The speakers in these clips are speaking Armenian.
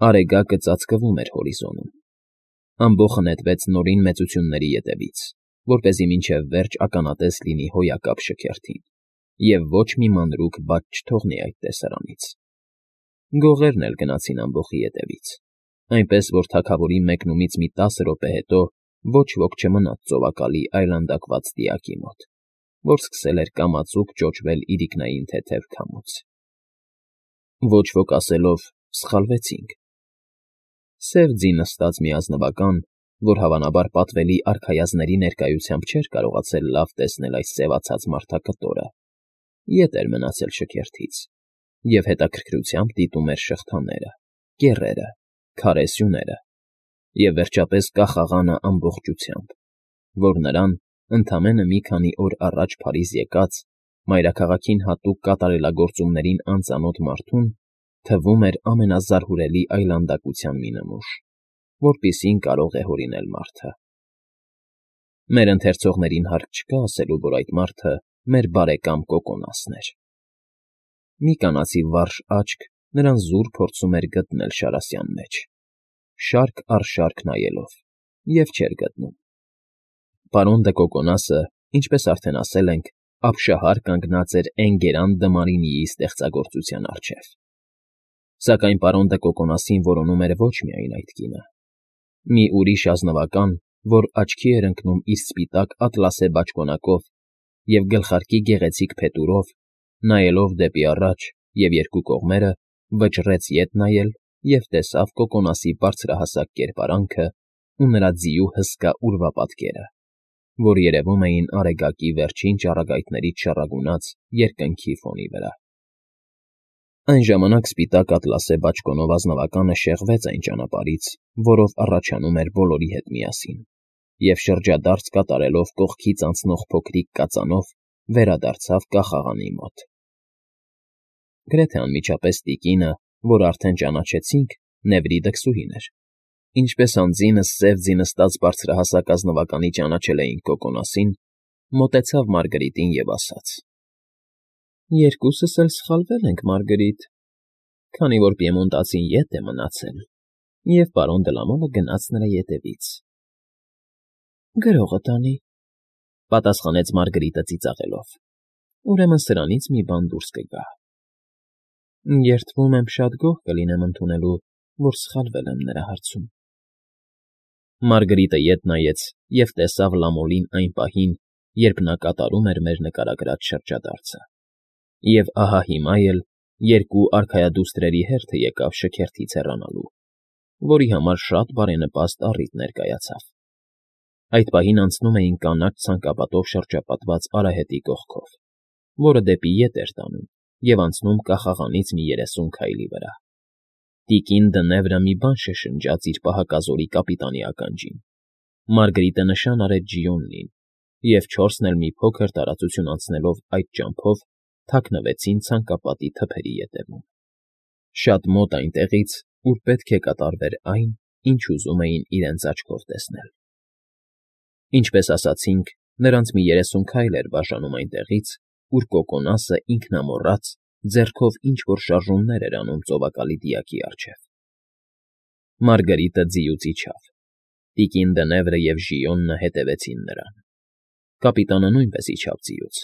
Արեգակը ծածկվում էր հորիզոնում։ Ամբոխը նետվեց նորին մեծությունների ետևից, որպեսզի մինչև վերջ ականատես լինի հոյակապ շքերթին, և ոչ մի մանրուք բաց չթողնի այդ տեսարանից։ Գողերն էլ գնացին ամբոխի ետևից, այնպես որ թագավորի մեկնումից մի 10 րոպե հետո ոչ ոք չմնաց ծովակալի այլանդակված դիակի մոտ, որ սկսել էր կամացուկ ճոճվել իրիկնային թեթև քամուց։ Ոչ ոք ասելով «Սխալվեցինք»։ Սև ձի նստած մի ազնվական, որ հավանաբար պատվելի արքայազնների ներկայությամբ չէր կարողացել լավ տեսնել այս սևացած մարդակտորը, ետ էր մնացել շքերթից և հետաքրքրությամբ դիտում էր շղթաները, կեռերը, քարե սյուները և, վերջապես, կախաղանը ամբողջությամբ, որ նրան, ընդամենը մի քանի օր առաջ Փարիզ եկած, մայրաքաղաքին հատուկ կատարելագործումներին անծանոթ մարդուն թվում էր ամենազարհուրելի այլանդակության մի նմուշ, որպիսին կարող է հորինել մարդը։ Մեր ընթերցողներին հարկ չկա ասելու, որ այդ մարդը մեր բարեկամ Կոկոնասն էր։ Մի կանացի վարժ աչք նրան զուր փորձում էր գտնել շարասյան մեջ, շարք առ շարք նայելով, և չէր գտնում։ Պարոն դը Կոկոնասը, ինչպես արդեն ասել ենք, ապշահար կանգնած էր Էնգերան Դմարինիի ստեղծագործության առջև։ Սակայն պարոն դը Կոկոնասին որոնում էր ոչ միայն այդ կինը։ Մի ուրիշ ազնվական, որ աչքի էր ընկնում իր սպիտակ ատլասե բաճկոնակով և գլխարկի գեղեցիկ փետուրով, նայելով դեպի առաջ և երկու կողմերը, վճռեց ետ նայել և տեսավ Կոկոնասի բարձրահասակ կերպարանքը ու նրա ձիու հսկա ուրվապատկերը, որ երևում էին Արեգակի վերջին ճառագայթներից շառագունած երկնքի ֆոնի վրա։ Այն ժամանակ սպիտակ ատլասե բաճկոնով ազնվականը շեղվեց այն ճանապարհից, որով առաջանում էր բոլորի հետ միասին, և շրջադարձ կատարելով կողքից անցնող փոքրիկ կածանով վերադարձավ կախաղանի մոտ։ Գրեթե անմիջապես տիկինը, որ արդեն ճանաչեցինք, Նևրի դքսուհին էր։ Ինչպես անձինս սև ձի նստած բարձրահասակ ազնվականի ճանաչել էին Կոկոնասին, մոտեցավ Մարգարիտին և ասաց. «Երկուսս էլ սխալվել ենք, Մարգարիտ, քանի որ պիեմոնտացին ետ է մնացել, և պարոն Դլամոմը գնաց նրա ետևից»։ «Գրողը տանի», ֊ պատասխանեց Մարգարիտը ծիծաղելով։ «Ուրեմն սրանից մի բան դուրս կգա։ Երդվում եմ շատ գոհ կլինեմ ընդունելու, որ սխալվել եմ նրա հարցում»։ Մարգարիտը ետ նայեց և տեսավ Լամոլին այն պահին, երբ նա կատարում էր մեր նկարագրած շրջադարձը, և ահա հիմա էլ երկու արքայադուստրերի հերթը եկավ շքերթից հեռանալու, որի համար շատ բարենպաստ առիթ ներկայացավ։ Այդ պահին անցնում էին կանաչ ցանկապատով շրջապատված արահետի կողքով, որը դեպի ետ էր տանում և անցնում կախաղանից մի 30 քայլի վրա։ Տիկին Դնևրը մի բան շշնջաց իր պահակազորի կապիտանի ականջին, Մարգարիտը նշան արեց Ժիոնին, և չորսն էլ մի փոքր տարածություն անցնելով այդ ճամփով թաքնվեցին ցանկապատի թփերի ետևում, շատ մոտ այնտեղից, ուր պետք է կատարվեր այն, ինչ ուզում էին իրենց աչքով տեսնել։ Ինչպես ասացինք, նրանց մի 30 քայլ էր բաժանում այնտեղից, ուր Կոկոնասը ինքնամոռաց ձեռքով ինչ֊որ շարժումներ էր անում ծովակալի դիակի առջև։ Մարգարիտը ձիուց իջավ։ Տիկին Դնևրը և Ժիոնը հետևեցին նրան։ Կապիտանը նույնպես իջավ ձիուց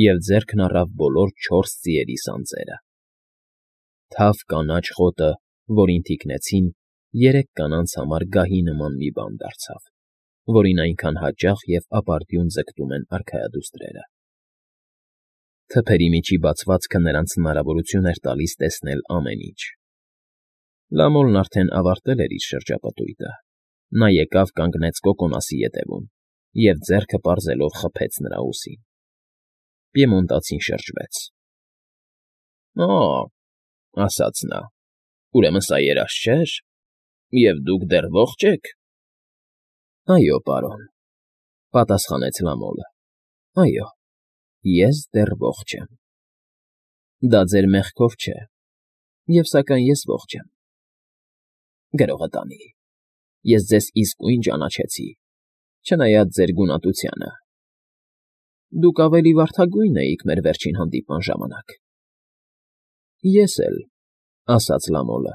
և ձեռքն առավ բոլոր 4 ձիերի սանձերը։ Թավ կանաչ խոտը, որին թիկնեցին, 3 կանանց համար գահի նման մի բան դարձավ, որին այնքան հաճախ և ապարդյուն ձգտում են արքայադուստրերը։ Թփերի միջի բացվածքը նրանց հնարավորություն էր տալիս տեսնել ամեն ինչ։ Լամոլն արդեն ավարտել էր իր շրջապտույտը։ Նա եկավ կանգնեց Կոկոնասի ետևում և ձեռքը պարզելով խփեց նրա ուսին։ Պիեմոնտացին շրջվեց։ «Օ՜», ասաց նա, «ուրեմն սա երազ չէր, և դուք դեռ ողջ եք»։ «Այո, պարոն», ֊ պատասխանեց Լամոլը, «այո, ես դեռ ողջ եմ»։ «Դա ձեր մեղքով չէ, և սակայն ես ողջ եմ»։ «Գրողը տանի, ես ձեզ իսկույն ճանաչեցի, չնայած ձեր գունատությանը։ Դուք ավելի վարդագույն էիք մեր վերջին հանդիպման ժամանակ»։ «Ես էլ», ֊ ասաց Լամոլը,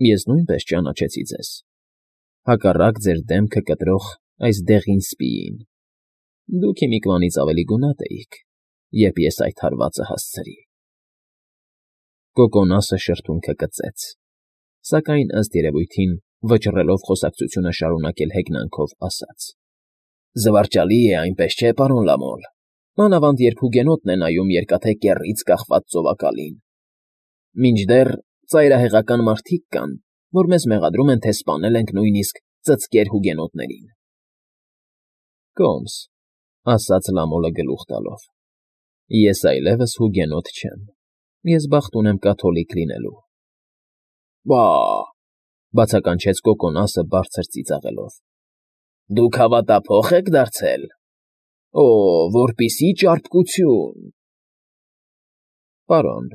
Ես նույնպես ճանաչեցի ձեզ, հակառակ ձեր դեմքը կտրող այս դեղին սպիին. դուք հիմիկվանից ավելի գունատ էիք, երբ ես այդ հարվածը հասցրի։ Կոկոնասը շրթունքը կծեց, սակայն ըստ երևույթին, վճռելով խոսակցությունը շարունակել հեգնանքով, ասաց. Զվարճալի է, այնպես չէ, պարոն Լամոլ, մանավանդ երբ հուգենոտն է նայում երկաթե կեռից կախված ծովակալին։ Մինչդեռ ծայրահեղական մարդիկ կան, որ մեզ մեղադրում են, թե սպանել ենք նույնիսկ ծծկեր հուգենոտներին։ Կոմս, ասաց Լամոլը գլուխ տալով, ես այլևս հուգենոտ չեմ, ես բախտ ունեմ կաթոլիկ լինելու։ Բա, բացականչեց Կոկոնասը բարձր ծիծաղելով, դուք հավատափոխ եք դարձել։ Օ, որպիսի ճարպկություն։ Պարոն,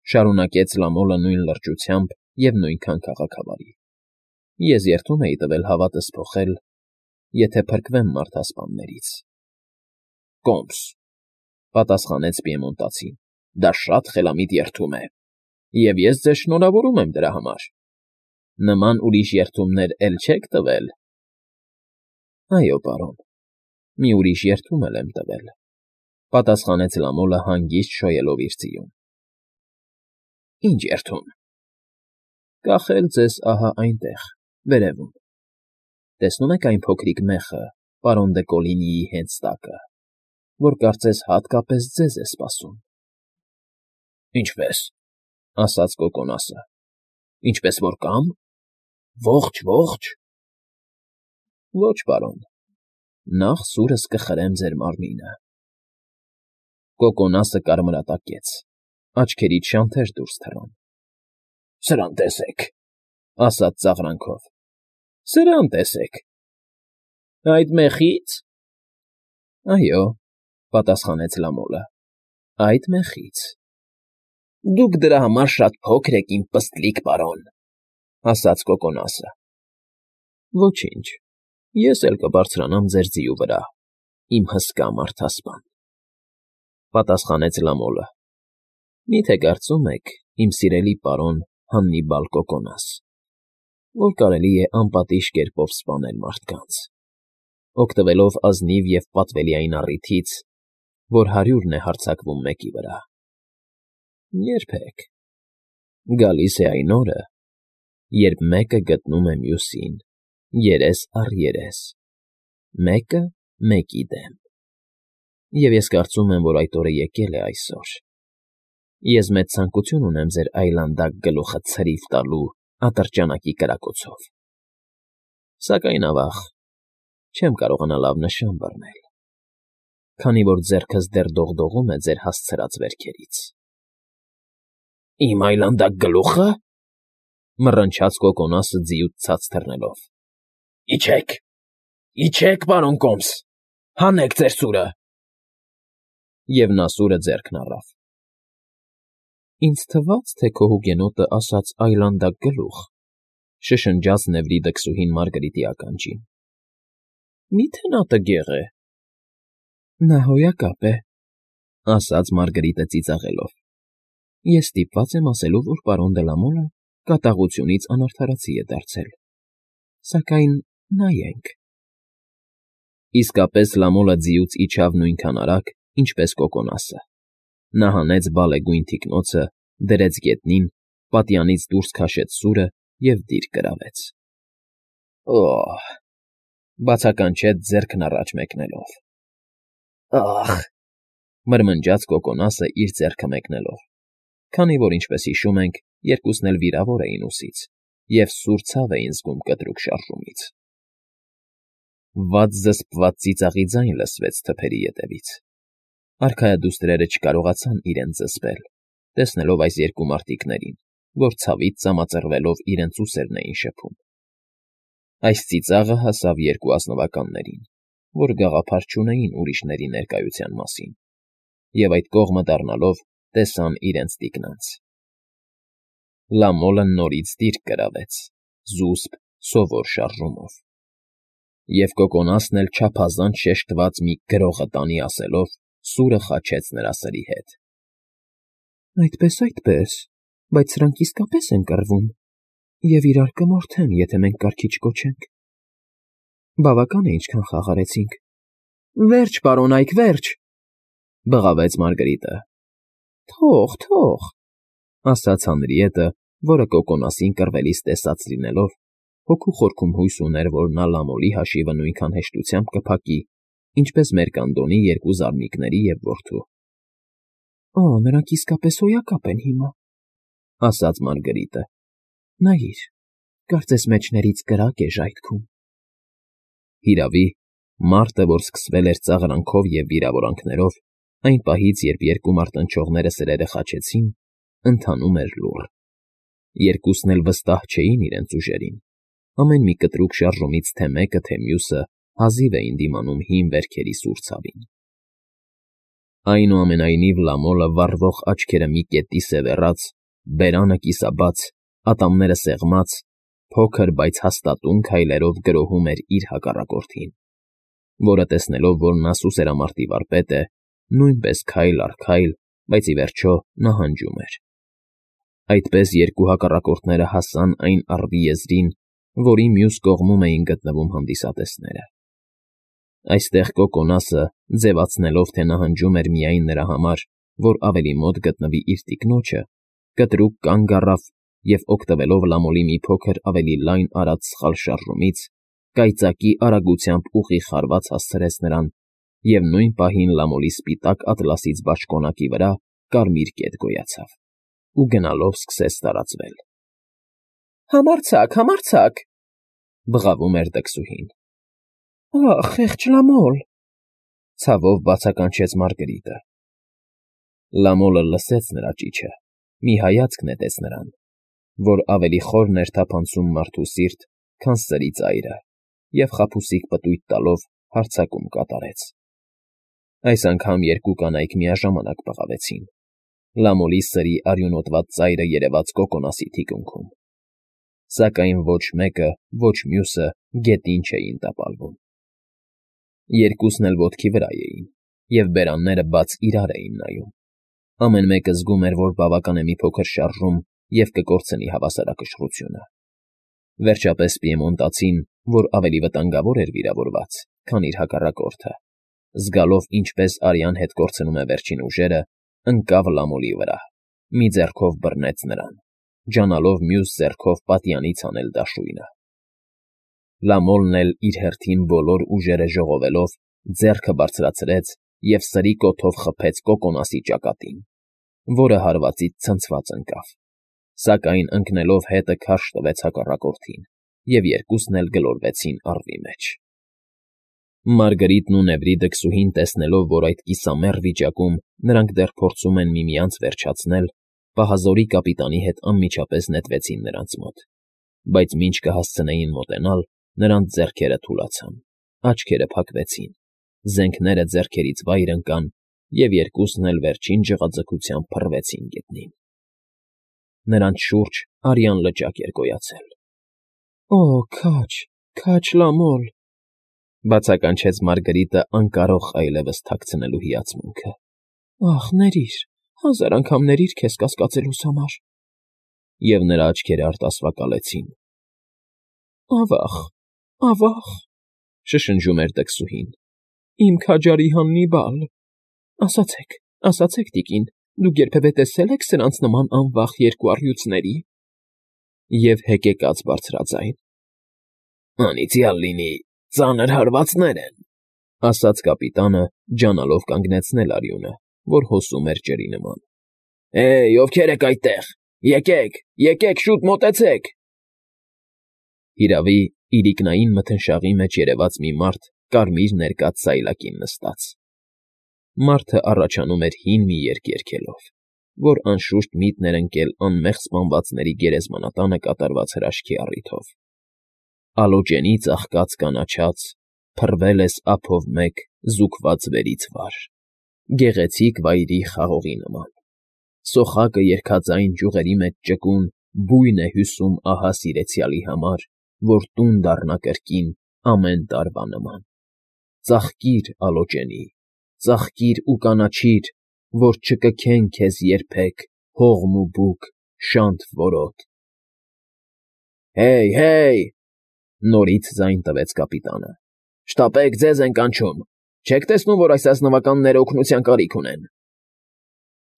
շարունակեց Լամոլը նույն լրջությամբ և նույնքան քաղաքավարի, ես երդում էի տվել հավատս փոխել, եթե փրկվեմ մարդասպաններից։ Կոմս, պատասխանեց պիեմոնտացին, դա շատ խելամիտ երդում է, և ես ձեզ շնորհավորում եմ դրա համար։ Նման ուրիշ երդումներ էլ չեք տվել։ Այո, պարոն, մի ուրիշ երդում էլ եմ տվել, պատասխանեց Լամոլը հանգիստ շոյելով իր ձիուն։ Ինչ երդում։ Կախել ձեզ ահա այնտեղ, վերևում։ Տեսնում եք այն փոքրիկ մեխը, պարոն դը Կոլինիի հենց տակը, որ կարծես հատկապես ձեզ է սպասում։ Ինչպես, ասաց Կոկոնասը, ինչպես որ կամ, ողջ։ Ոչ, պարոն, նախ սուրս կխրեմ ձեր մարմինը։ Կոկոնասը կարմրատակեց, աչքերից շանթեր դուրս թռան։ Սրան տեսեք, ասաց ծաղրանքով, սրան տեսեք։ Այդ մեխի՞ց։ Այո, պատասխանեց Լամոլը, այդ մեխից։ Դուք դրա համար շատ փոքր եք, իմ պստլիկ պարոն, ասաց Կոկոնասը։ Ոչինչ, ես էլ կբարձրանամ ձեր ձիու վրա, իմ հսկա մարդասպան, պատասխանեց Լամոլը։ Մի՞թե կարծում եք, իմ սիրելի պարոն Հաննիբալ Կոկոնաս, որ կարելի է անպատիժ կերպով սպանել մարդկանց, օգտվելով ազնիվ և պատվելի այն առիթից, որ 100-ն է հարձակվում մեկի վրա։ Երբեք։ Գալիս է այն օրը, երբ մեկը գտնում է մյուսին, երես առ երես, մեկը մեկի դեմ։ Եվ ես կարծում եմ, որ այդ օրը եկել է այսօր։ Ես մեծ ցանկություն ունեմ ձեր այլանդակ գլուխը ցրիվ տալու ատրճանակի կրակոցով։ Սակայն, ավաղ, չեմ կարողանա լավ նշան բռնել, քանի որ ձեռքս դեռ դողդողում է ձեր հասցրած վերքերից։ Իմ այլանդակ գլուխը, մռնչաց Կոկոնասը ձիուց ցած թռնելով։ Իջեք, պարոն Կոմս, հանեք ձեր սուրը։ Եվ նա սուրը ձեռքն առավ։ Ինձ թվաց, թե քո հուգենոտը ասաց այլանդակ գլուխ, շշնջաց Նևրիդը քսուհին Մարգարիտի ականջին։ Մի՞թե նա տգեղ է։ Նա հոյակապ է, ասաց Մարգարիտը ծիծաղելով։ Ես ստիպված եմ ասելու, որ պարոն դե Լամոլը կատաղությունից անարդարացի է դարձել։ Սակայն նայենք։ Իսկապես Լամոլը ձիուց իջավ նույնքան արագ, ինչպես Կոկոնասը։ Նա հանեց բալեգույն թիկնոցը, դրեց գետնին, պատյանից դուրս քաշեց սուրը և դիր կրավեց։ Օհ, բացականչեց ձեռքն առաջ մեկնելով։ Ախ, մրմնջաց Կոկոնասը իր ձեռքը մեկնելով, քանի որ, ինչպես հիշում ենք, երկուսն էլ վիրավոր էին ուսից և սուր ցավ էին զգում կտրուկ շարժումից։ Վատ զսպված ծիծաղի ձայն լսվեց թփերի ետևից։ Արքայադուստրերը չկարողացան իրենց զսպել, տեսնելով այս երկու մարտիկներին, որ ցավից ծամածռվելով իրենց ուսերն էին շփում։ Այս ծիծաղը հասավ երկու ազնվականներին, որ գաղափար չունեին ուրիշների ներկայության մասին, և այդ կողմը դառնալով տեսան իրենց տիկնանց։ Լամոլը նորից դիրք կրավեց, զուսպ, սովոր շարժումով։ Եվ Կոկոնասն էլ չափազանց շեշտված մի գրողը տանի ասելով սուրը խաչեց նրա սրի հետ։ Այդպես, բայց սրանք իսկապես են կռվում, Եվ իրար կմորթեն, եթե մենք կարգի չկոչենք։ Բավական է, ինչքան խաղարեցինք։ Վերջ, պարոն Այք, վերջ, բղավեց Մարգարիտը։ Թող, ասաց Հանրիետը, որը կոկոնասին կռվելիս տեսած լինելով, հոգու խորքում հույս ուներ, որ նա Լամոլի հաշիվը նույնքան հեշտությամբ կփակի, ինչպես Մերկանդոնի երկու զարմիկների և որդու։ Օ, նրանք իսկապես հոյակապ են հիմա, ասաց Մարգարիտը։ Նայիր, կարծես մեջներից կրակ է ժայթքում։ Հիրավի, մարտը, որ սկսվել էր ծաղրանքով և վիրավորանքներով, այն պահից, երբ երկու մարտնչողները սրերը խաչեցին, ընթանում էր լուռ։ Երկուսն էլ վստահ չէին իրենց ուժերին։ Ամեն մի կտրուկ շարժումից թե մեկը, թե մյուսը հազիվ էին դիմանում հին վերքերի սուր ցավին։ Այնուամենայնիվ Լամոլը վառվող աչքերը մի կետի սևեռած, բերանը կիսաբաց, ատամները սեղմած, փոքր, բայց հաստատուն քայլերով գրոհում էր իր հակառակորդին, որը տեսնելով, որ նա սուսերամարտի վարպետ է, նույնպես քայլ առ քայլ, բայց ի վերջո նահանջում էր։ Այդպես երկու հակառակորդները հասան այն առվի եզրին, որի մյուս կողմում էին գտնվում հանդիսատեսները։ Այստեղ Կոկոնասը, ձևացնելով, թե նահանջում էր միայն նրա համար, որ ավելի մոտ գտնվի իր տիկնոջը, կտրուկ կանգ առավ և, օգտվելով Լամոլի մի փոքր ավելի լայն արած սխալ շարժումից, կայծակի արագությամբ ուղիղ հարված հասցրեց նրան և նույն պահին Լամոլի սպիտակ ատլասից բաճկոնակի վրա կարմիր կետ գոյացավ ու գնալով սկսեց տարածվել։ Համարձակ, բղավում էր դքսուհին։ Ախ, խեղճ Լամոլ, ցավով բացականչեց Մարգարիտը։ Լամոլը լսեց նրա ճիչը, մի հայացք նետեց նրան, որ ավելի խորն էր թափանցում մարդու սիրտ, քան սրի ծայրը, և խաբուսիկ պտույտ տալով հարձակում կատարեց։ Այս անգամ երկու կանայք միաժամանակ բղավեցին։ Լամոլի սրի արյունոտված ծայրը երևաց Կոկոնասի թիկունքում։ Սակայն ոչ մեկը, ոչ մյուսը գետին չէին տապալվում։ Երկուսն էլ ոտքի վրա էին, և բերանները բաց իրար էին նայում։ Ամեն մեկը զգում էր, որ բավական է մի փոքր շարժում և կկորցնի հավասարակշռությունը։ Վերջապես պիեմոնտացին, որ ավելի վտանգավոր էր վիրավորված, քան իր հակառակորդը, զգալով ինչպես արյան հետ կորցնում է վերջին ուժերը, ընկավ Լամոլի վրա, մի ձեռքով բռնեց նրան, ջանալով մյուս ձեռքով պատյանից հանել դաշույնը։ Լամոլն էլ իր հերթին բոլոր ուժերը ժողովելով ձեռքը բարձրացրեց և սրի կոթով խփեց Կոկոնասի ճակատին, որը հարվածից ցնցված ընկավ, սակայն ընկնելով հետը քարշ տվեց հակառակորդին, և երկուսն էլ գլորվեցին առվի մեջ։ Մարգարիտն ու Նևրի դքսուհին տեսնելով, որ այդ կիսամեռ վիճակում նրանք դեռ փորձում են միմյանց վերջացնել, պահազորի կապիտանի հետ անմիջապես նետվեցին նրանց մոտ, բայց մինչ կհասցնեին մոտենալ, նրանց ձեռքերը թուլացան, աչքերը փակվեցին, զենքները ձեռքերից վայր ընկան, և երկուսն էլ վերջին ջղաձգությամբ փռվեցին գետնին։ Նրանց շուրջ արյան լճակ էր գոյացել։ Օ, քաջ Լամոլ, բացականչեց Մարգարիտը անկարող այլևս թաքցնելու հիացմունքը։ Ախ, ների՛ր, 1000 անգամ ների՛ր քեզ կասկածելուս համար։ Եվ նրա աչքերը արտասվակալեցին։ Ավա՜ղ, շշնջում էր դքսուհին, իմ քաջարի Հաննիբալ, ասացեք, տիկին, դուք երբևէ տեսե՞լ եք սրանց նման անվախ երկու առյուծների։ Եվ հեկեկաց բարձրաձայն։ Անիծյալ լինի, ծանր հարվածներ են, ասաց կապիտանը, ջանալով կանգնեցնել արյունը, որ հոսում էր ջրի նման։ Ովքե՞ր եք այդտեղ, եկեք, շուտ մոտեցեք։ Հիրավի, իրիկնային մթնշաղի մեջ երևաց մի մարդ կարմիր ներկած սայլակին նստած։ Մարդը առաջանում էր հին մի երգ երգելով, որ անշուշտ միտն էր ընկել անմեղ սպանվածների գերեզմանատանը կատարված հրաշքի առիթով։ Ալոջենի ծաղկած կանաչած, փռվել ես ափով մեկ զուգված վերից վար, գեղեցիկ վայրի խաղողի նման։ Սոխակը երգաձայն ճյուղերի մեջ ճկուն բույն է հյուսում ահա սիրեցյալի համար, որ տուն դառնա կրկին ամեն տարվա նման։ Ծաղկիր, Ալոջենի, ծաղկիր ու կանաչիր, որ չկքեն քեզ երբեք հողմ ու բուք, շանթ որոտ։ Հեյ, նորից ձայն տվեց կապիտանը։ Շտապեք, ձեզ են կանչում։ Չեք տեսնում, որ այս ազնվականները օգնության կարիք ունեն։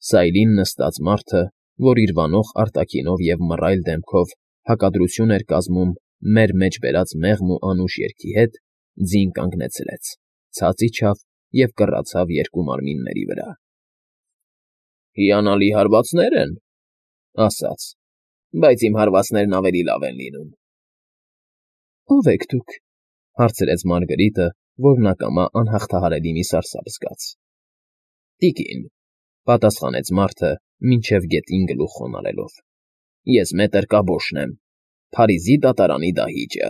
Սայլին նստած մարդը, որ իր վանող արտաքինով և մռայլ դեմքով հակադրություն էր կազմում մեր մեջ բերած մեղմ ու անուշ երգի հետ, ձին կանգնեցրեց, ցած իջավ և կռացավ երկու մարմինների վրա։ Հիանալի հարվածներ են, ասաց, բայց իմ հարվածներն ավելի լավ են լինում։ Ո՞վ եք դուք, հարցրեց Մարգրիտը, որն ակամա անհաղթահարելի մի սարսափ զգաց։ Տիկին, պատասխանեց մարդը, մինչև գետին գլուխ խոնարհելով։ Ես մետր կաբոշն եմ, Փարիզի դատարանի դահիճը,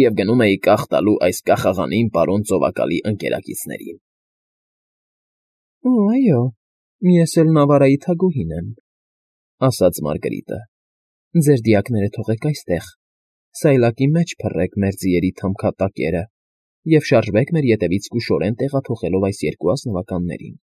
և գնում էի կախ տալու այս կախաղանին պարոն ծովակալի ընկերակիցներին։ Այո, ես էլ Նավարայի թագուհին եմ, ասաց Մարգրիտը։ Ձեր դիակները թողեք այստեղ, սայլակի մեջ փռեք մեր ձիերի թամքատակերը և շարժվեք մեր ետևից զգուշորեն տեղափոխելով այս երկու ազնվականներին։